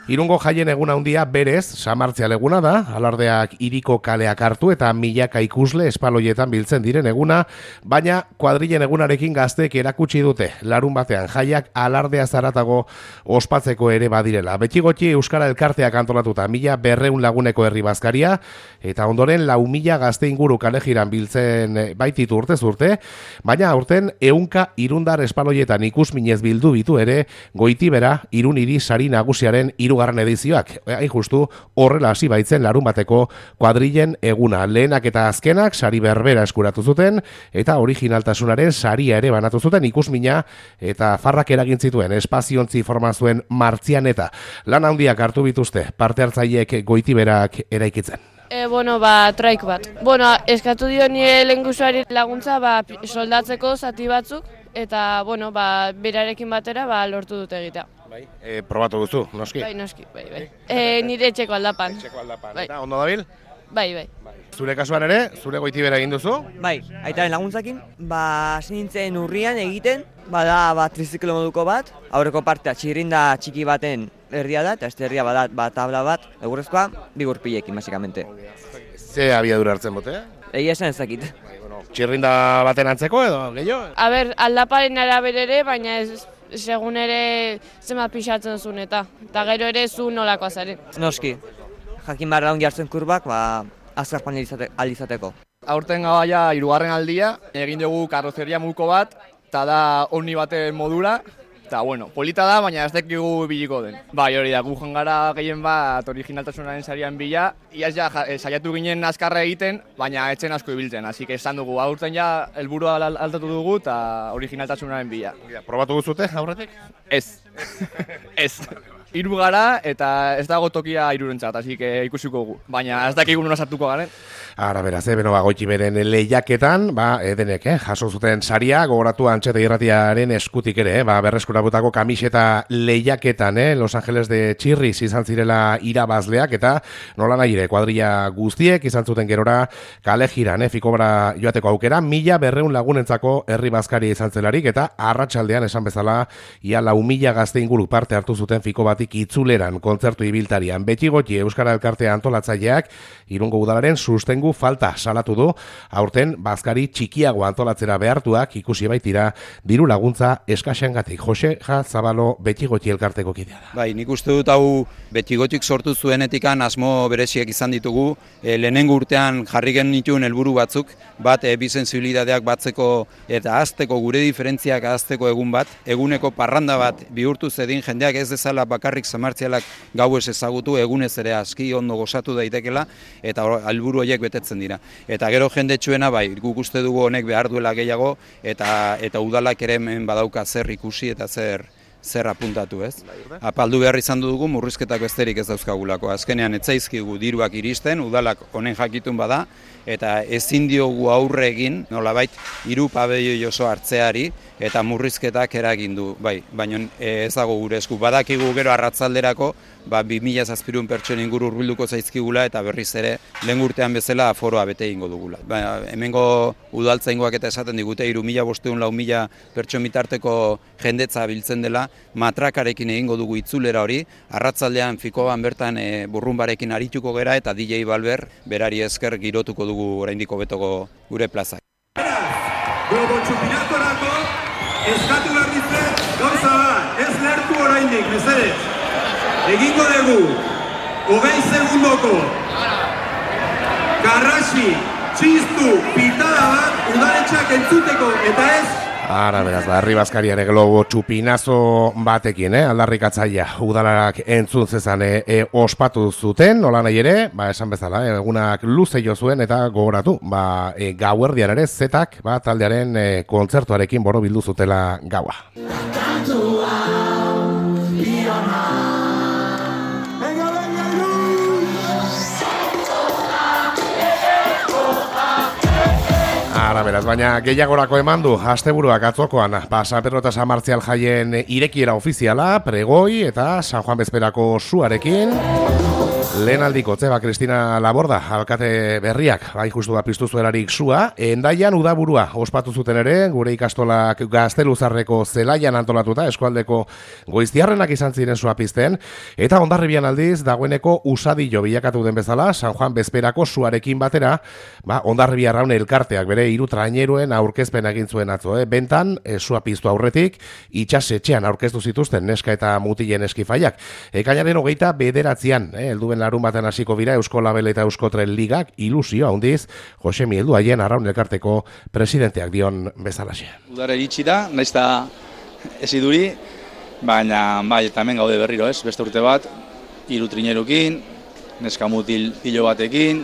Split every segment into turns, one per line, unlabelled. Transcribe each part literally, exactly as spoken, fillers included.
Irungo jaien eguna handia berez, San Martzial eguna da, alardeak hiriko kaleak hartu eta milaka ikusle espaloietan biltzen diren eguna, baina kuadrilen egunarekin gazteek erakutsi dute, larun batean jaiak alardea zaratago ospatzeko ere badirela. Betxigoti Euskara Elkarteak antolatuta mila berreun laguneko herri bazkaria, eta ondoren lau mila gazte inguru kalejiran biltzen baititu urtez urte, baina aurten ehunka irundar espaloietan ikusminez bildu bitu ere, Goitibera Irun hiri sari nagusiaren hirugarren edizioak. Hain justu horrela hasi baitzen larun bateko kuadrilen eguna. Lehenak eta azkenak sari berbera eskuratu zuten eta originaltasunaren saria ere banatu zuten ikusmina eta farrak eragin zituen espaziontzi formazuen martzian eta lan handiak hartu bituzte parte hartzaileek Goitiberak eraikitzen.
E, bueno, ba, traik bat. Bueno, eskatu dio nire lengusuari laguntza ba, soldatzeko zati batzuk, eta, bueno, ba, berarekin batera ba, lortu dute egitea.
Bai, e, probatu duzu, noski?
Bai, noski, bai, bai. E, nire etxeko aldapan.
Etxeko aldapan,
bai.
Eta ondo dabil?
Bai, bai.
Zure kasuan ere, zure Goitibera egin duzu?
Bai, aitaren laguntzakin, ba, hasi nintzen urrian egiten, bada, ba, triziklo moduko bat, aurreko partea txirrinda txiki baten herria da, eta este herria badat, ba, tabla bat, egurrezkoa, bi gurpilekin, basikamente.
Ze abiadura hartzen bote?
Egia esan ezakit.
Txirrinda baten antzeko edo, gehiago?
A ber, aldaparen arabera ere, baina ez, segun ere zema pixatzen zuen eta, eta gero ere zu nolakoa zaren.
Noski, jakin behar daun jartzen kurbak, ba, azkarpan alizateko.
Aurten gabaia hirugarren aldia, egin dugu karrozeria muko bat, eta da omni baten modura, eta bueno, polita da, baina ez dakigu biliko den. Bai, hori da, gu joan gara gehien bat originaltasunaren sarian bila, iaz ja saiatu ginen azkarra egiten, baina etzen asko ibiltzen, hasi que esan dugu, aurten ja helburua altatu dugu eta originaltasunaren bila.
Probatu guzute aurretik?
Ez, ez. Hiru gara eta ez dago tokia hirurentzat, hasi que ikusiko gu, baina ez dakigu nola sartuko garen.
Ara beraz, eh, beno, ba, Goitiberen lehiaketan, ba, edenek, eh, jaso zuten saria, gogoratu Antxeta Irratiaren eskutik ere, eh, ba, berreskurabutako kamiseta lehiaketan, eh, Los Angeles de Chirris izan zirela irabazleak, eta nola nahi ere, kuadrilla guztiek izan zuten gerora kale jiran, eh, fikobra joateko aukera, mila berreun lagunentzako herri bazkari izan zelarik, eta arratsaldean esan bezala, ia lau mila gazte inguru parte hartu zuten fiko batik itzuleran, kontzertu ibiltarian. Betxigoti Euskara Elkartea antolatzaileak, Irungo udalaren sustengu falta salatu du, aurten bazkari txikiago antolatzera behartuak ikusi baitira diru laguntza eskaxengatik. Jose Ja Zabalo Betxigoti Elkarteko kidea da.
Bai, nik uste dut hau Betxigotik sortu zuenetikan asmo bereziak izan ditugu, e, lehenengo urtean jarri genituen helburu batzuk, bat e, bi sensibilidadeak batzeko eta azteko gure diferentziak azteko egun bat, eguneko parranda bat bihurtu zedin jendeak ez dezala bakarrik Samartzialak gauez ezagutu, egunez ere aski ondo gozatu daitekela, eta helburu horiek betetzen dira. Eta gero jendetsuena bai, guk uste dugu honek behar duela gehiago, eta eta udalak ere hemen badauka zer ikusi eta zer zer apuntatu, ez? Apaldu behar izan dugu murrizketak besterik ez dauzkagulako. Azkenean etzaizkigu diruak iristen, udalak honen jakitun bada, eta ezin diogu aurre egin, nolabait, hiru pabelloi oso hartzeari, eta murrizketak eragin du, bai, baina ez dago gure esku. Badakigu gero arratzalderako, ba, bi mila zazpirun pertsonen inguru hurbilduko zaizkigula, eta berriz ere, lehen urtean bezala aforoa bete egingo dugula. Ba, hemengo udaltzaingoak eta esaten digute, hiru mila bosteun, lau mila pertson bitarteko jendetza biltzen dela, matrakarekin egingo dugu itzulera hori, arratzaldean fikoban bertan e, burrunbarekin arituko gera, eta D J Balber berari esker girotuko dugu oraindiko betoko gure plazak.
Globo txupinatorako eskatu behar ditzen gauza bat, ez lertu oraindik, mesedez. Egingo dugu, hogei segundoko, garrasi, txistu, pitada bat, udaletxeak entzuteko, eta ez
Ara, beraz, da, herri bazkariare globo txupinazo batekin, eh? Aldarrikatzaia udalarak entzun zezan e, e, ospatu zuten, nola nahi ere, ba, esan bezala, egunak luze jo zuen eta gogoratu, ba, e, gauerdian ere, zetak, ba, taldearen e, kontzertuarekin boro bildu zutela gaua. Ara, beraz, baina gehiagorako eman du asteburuak atzokoan, ba, San Pedro eta San Martzial jaien irekiera ofiziala, pregoi eta San Juan Bezperako suarekin. Lehen aldiko, zeba, Kristina Laborda, alkate berriak, bai justu da piztu zuelarik sua, Endaian udaburua ospatu zuten ere, gure ikastolak Gazteluzarreko zelaian antolatuta, eskualdeko goiztiarrenak izan ziren sua pizten, eta Hondarribian aldiz, dagoeneko usadillo bilakatu den bezala, San Juan bezperako suarekin batera, ba, Hondarribia Arraun elkarteak bere hiru traineruen aurkezpen egin zuen atzo, eh? Bentan, e, sua piztu aurretik, itxasetxean aurkeztu zituzten neska eta mutilen eskifaiak. Ekainaren hogeita bederatzean, eh, helduen larun baten hasiko bira Eusko Label eta Euskotren Ligak ilusio handiz Josemi Helduaien Arraun elkarteko presidenteak dion bezalaxe.
Udara iritsi da, naiz eta ez iduri, baina bai, eta hemen gaude berriro, ez? Beste urte bat, hiru trinerukin, neska mutil pilo batekin,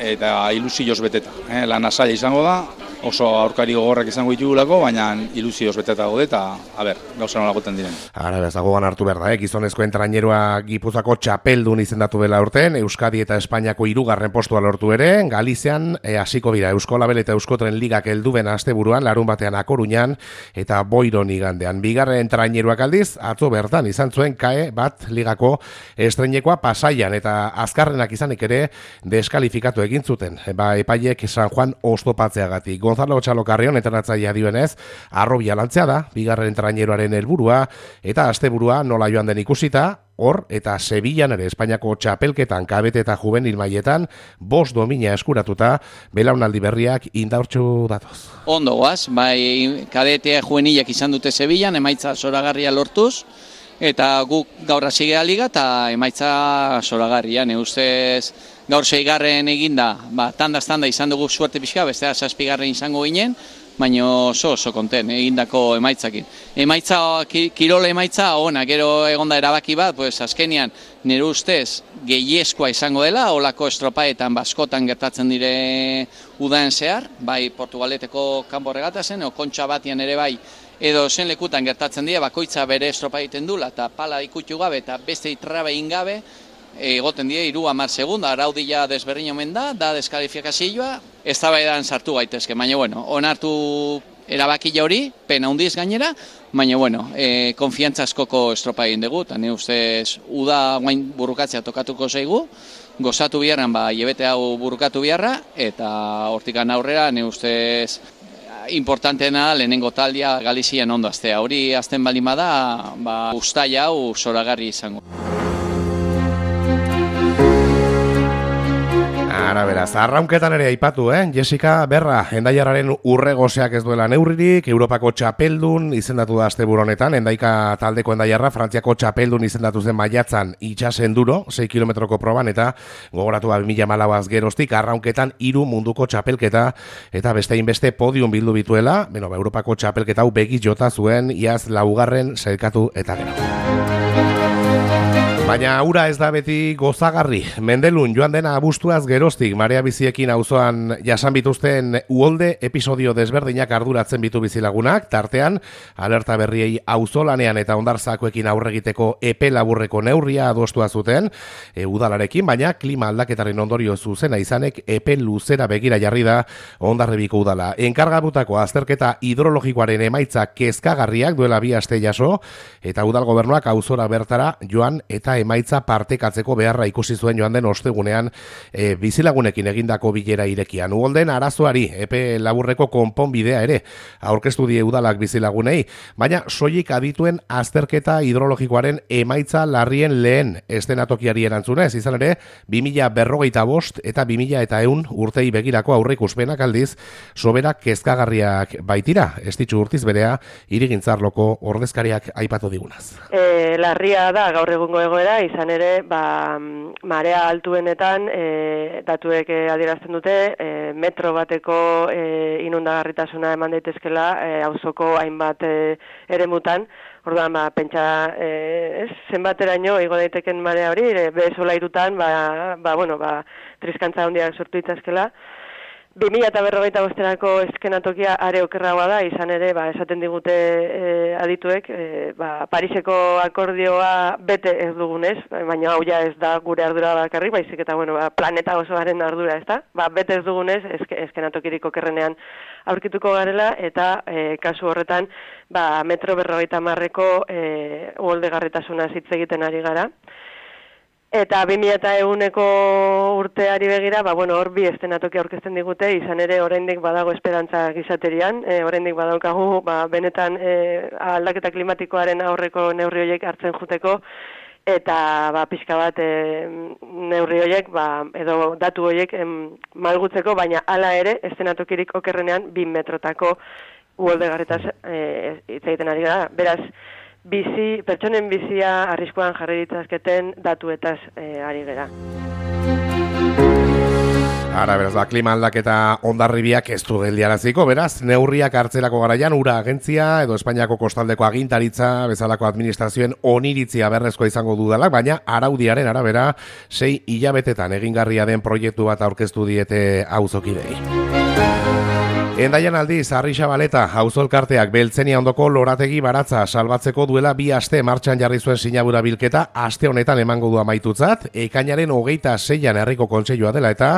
eta ilusioz beteta. Eh? Lan asaila izango da, oso aurkari gogorrak izango ditugulako, baina ilusioz beteta gaude, eta, a ber, gauza nola goten diren.
Ara, bezagoan hartu behar da, eh? Gizonezkoen trainerua Gipuzako txapeldun izendatu dela urten, Euskadi eta Espainiako hirugarren postua lortu ere, Galizian eh, hasiko dira Eusko Label eta Euskotren Ligak helduben asteburuan, larun batean A Coruñan, eta Boiron igandean. Bigarren traineruak aldiz, atzo bertan izan zuen kae bat ligako estreinekoa Pasaian, eta azkarrenak izanik ere deskalifikatu egin zuten, ba, epaiek San Juan oztopatzeagatik. Gonzalo Txalokarrion entrenatzailea dioenez, arrobia lantzea da, bigarren traineroaren helburua, eta asteburua nola joan den ikusita, hor eta Sevillan ere Espainiako txapelketan kabete eta juvenil mailetan bost domina eskuratuta, belaunaldi berriak indaurtsu datoz.
Ondo goaz, bai kadetea juvenilak izan dute Sevillan, emaitza zoragarria lortuz, eta guk gaur hasi gea liga eta emaitza zoragarria, ne ustez gaur seigarren eginda, ba, tanda-tanda izan dugu suerte pixka, bestea zazpigarren izango ginen, baina oso oso konten egindako emaitzakin. Emaitza, kirola emaitza, ona, gero egonda erabaki bat, pues azkenian nire ustez gehiezkoa izango dela, olako estropaetan baskotan gertatzen dire udaen zehar, bai Portugaleteko kanpo regata zen, o kontxa batian ere bai, edo zen lekutan gertatzen dira, bakoitza bere estropa egiten dula, eta pala ikutu gabe, eta beste itrabe ingabe, egoten die hiru hamar segundo, araudia desberdin omen da, da deskalifikazioa, eztabaidan sartu gaitezke, baina bueno, onartu erabakila hori, pena handiz gainera, baina bueno, e, konfiantza askoko estropa egin dugu, eta ne ustez uda guain burrukatzea tokatuko zaigu, gozatu biharran ba hilabete hau burrukatu biharra, eta hortikan aurrera ne ustez importanteena lehenengo taldea Galizian ondo aztea. Hori azten baldin bada, ba uztaila hau zoragarri izango.
Ara beraz, arraunketan ere aipatu, eh? Jessica Berra, Endaiarraren urregoseak ez duela neurririk, Europako txapeldun izendatu da asteburu honetan, Endaika taldeko Endaiarra, Frantziako txapeldun izendatu zen maiatzan itxasenduro, sei kilometroko proban, eta gogoratu ba bi mila hamalauaz geroztik, arraunketan hiru munduko txapelketa, eta bestein beste podium bildu bituela, beno, ba, Europako txapelketa hau begiz jota zuen, iaz laugarren sailkatu eta gero. Baina ura ez da beti gozagarri. Mendelun joan dena abuztuaz geroztik Marea Biziekin auzoan jasan bituzten uholde episodio desberdinak arduratzen bitu bizilagunak, tartean alerta berriei auzolanean eta hondartzakoekin aurregiteko epe laburreko neurria adostua zuten e, udalarekin, baina klima aldaketaren ondorio zuzena izanek epe luzera begira jarri da Hondarribiko udala. Enkargabutako azterketa hidrologikoaren emaitza kezkagarriak duela bi aste jaso, eta udal gobernuak auzora bertara joan eta emaitza partekatzeko beharra ikusi zuen joan den ostegunean e, bizilagunekin egindako bilera irekian. Uholden arazoari epe laburreko konponbidea ere aurkeztu die udalak bizilagunei, baina soilik adituen azterketa hidrologikoaren emaitza larrien lehen estenatokiari erantzunez, izan ere bi mila berrogeita bost eta bi mila eta ehun urtei begirako aurreikuspenak aldiz sobera kezkagarriak baitira. Estitxu Urtiz berea hirigintzarloko ordezkariak aipatu digunaz.
E, larria da gaur egungo egoera, izan ere, ba, marea altuenetan e, datuek e, adierazten dute, e, metro bateko e, inundagarritasuna eman daitezkela e, auzoko hainbat e, eremutan. Orduan, ba, pentsa, e, ez, zenbateraino igo daiteken marea hori, e, behezola irutan, ba, ba, bueno, ba, triskantza handiak sortu itzazkela. bi mila berrogeita bosterako eskenatokia are okerragoa da, izan ere, ba, esaten digute e, adituek, e, ba, Pariseko akordioa bete ez dugunez, baina hau ja ez da gure ardura bakarrik, baizik eta bueno, ba, planeta osoaren ardura, ez da? Ba, bete ez dugunez, eske, eskenatokirik okerrenean aurkituko garela, eta e, kasu horretan, ba, metro berrogeita marreko e, uholdegarritasuna hitz egiten ari gara. Eta bi mila ehuneko urteari begira, ba, bueno, hor bi eszenatoki aurkezten digute, izan ere oraindik badago esperantza gizaterian, e, oraindik badaukagu, ba, benetan e, aldaketa klimatikoaren aurreko neurri horiek hartzen juteko, eta ba, pixka bat e, neurri horiek, ba, edo datu horiek em, malgutzeko, baina hala ere, eszenatokirik okerrenean, bi metrotako uholdegarritaz e, hitz egiten ari gara. Beraz, bizi, pertsonen bizia arriskuan jarri ditzazketen datuetaz e, ari gera.
Ara, beraz, ba, klima aldaketa hondarribiak ez du geldiaraziko, beraz, neurriak hartzerako garaian ura agentzia edo Espainiako kostaldeko agintaritza bezalako administrazioen oniritzia berrezkoa izango dudalak, baina araudiaren arabera sei hilabetetan egingarria den proiektu bat aurkeztu diete auzokidei. Endaian aldiz, Arrixabaleta, auzolkarteak Beltzenia ondoko lorategi baratza salbatzeko duela bi aste martxan jarri zuen sinabura bilketa aste honetan emango du amaitutzat, ekainaren hogeita seian herriko kontseilua dela eta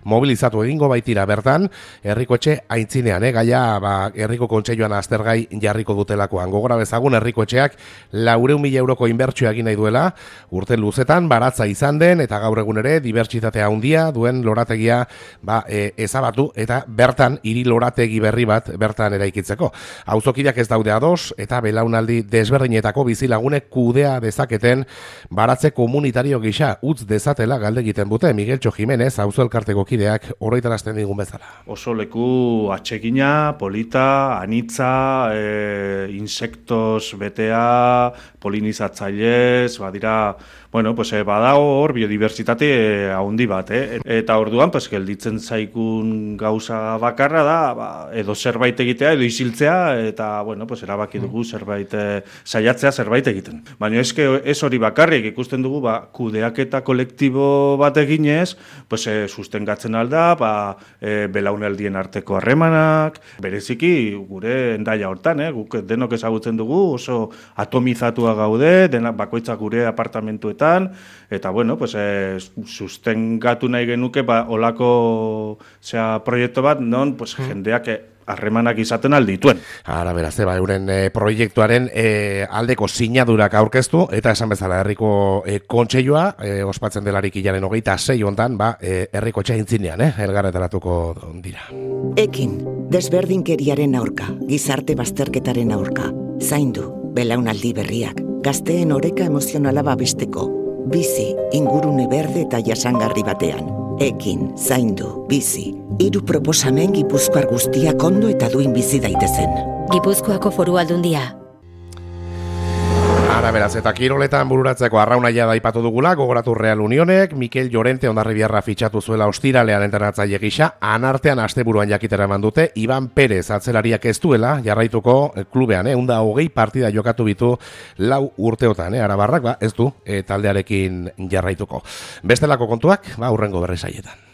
mobilizatu egingo baitira bertan, herrikoetxe aintzinean, eh, gaia ba, herriko kontseiluan aztergai jarriko dutelakoan. Gogora bezagun herrikoetxeak laurehun mila euroko inbertsioa egin nahi duela, urte luzetan baratza izan den eta gaur egun ere dibertsitatea handia duen lorategia ba, e, ezabatu eta bertan hiri lorategi berri bat bertan eraikitzeko. Auzokideak ez daude ados eta belaunaldi desberdinetako bizilagunek kudea dezaketen baratze komunitario gisa utz dezatela galde egiten dute Migueltxo Jimenez auzo elkarteko kideak oroitarazten digun bezala.
Oso leku atsegina, polita, anitza, e, insektos betea, polinizatzailez, badira, bueno, pues eh, badago hor biodibertsitate eh, handi bat, eh? Eta orduan pues gelditzen zaikun gauza bakarra da, ba, edo zerbait egitea edo isiltzea eta bueno, pues erabaki dugu zerbait eh, saiatzea zerbait egiten. Baina eske ez hori bakarrik ikusten dugu, ba kudeaketa kolektibo bat eginez, pues eh, sustengatzen alda, ba eh, belaunaldien arteko harremanak, bereziki gure Endaia hortan, eh, guk denok ezagutzen dugu, oso atomizatua gaude, denak bakoitzak gure apartamentuetan, eta bueno, pues eh, sustengatu nahi genuke ba olako sea proiektu bat non pues jendeak harremanak izaten aldituen.
Ara beraz, eba, euren e, proiektuaren e, aldeko sinadurak aurkeztu, eta esan bezala herriko e, kontseilua, e, ospatzen delarik hilaren hogeita sei hontan, ba, e, herriko txaintzinean, eh, elgarretaratuko dira.
Ekin, desberdinkeriaren aurka, gizarte bazterketaren aurka, zaindu, belaunaldi berriak, gazteen oreka emozionala babesteko, bizi, ingurune berde eta jasangarri batean. Ekin, zaindu, bizi, hiru proposamen Gipuzkoar guztiak ondo eta duin bizi daitezen.
Gipuzkoako Foru Aldundia.
Ara beraz, eta kiroletan bururatzeko arraunaia da aipatu dugula, gogoratu Real Unionek, Mikel Llorente Hondarribiarra fitxatu zuela ostiralean entrenatzaile gisa, anartean asteburuan jakitera eman dute, Iban Perez atzelariak ez duela, jarraituko klubean, eh, unda hogei partida jokatu bitu lau urteotan, eh, arabarrak, ba, ez du, eh, taldearekin jarraituko. Bestelako kontuak, ba, hurrengo berri saietan.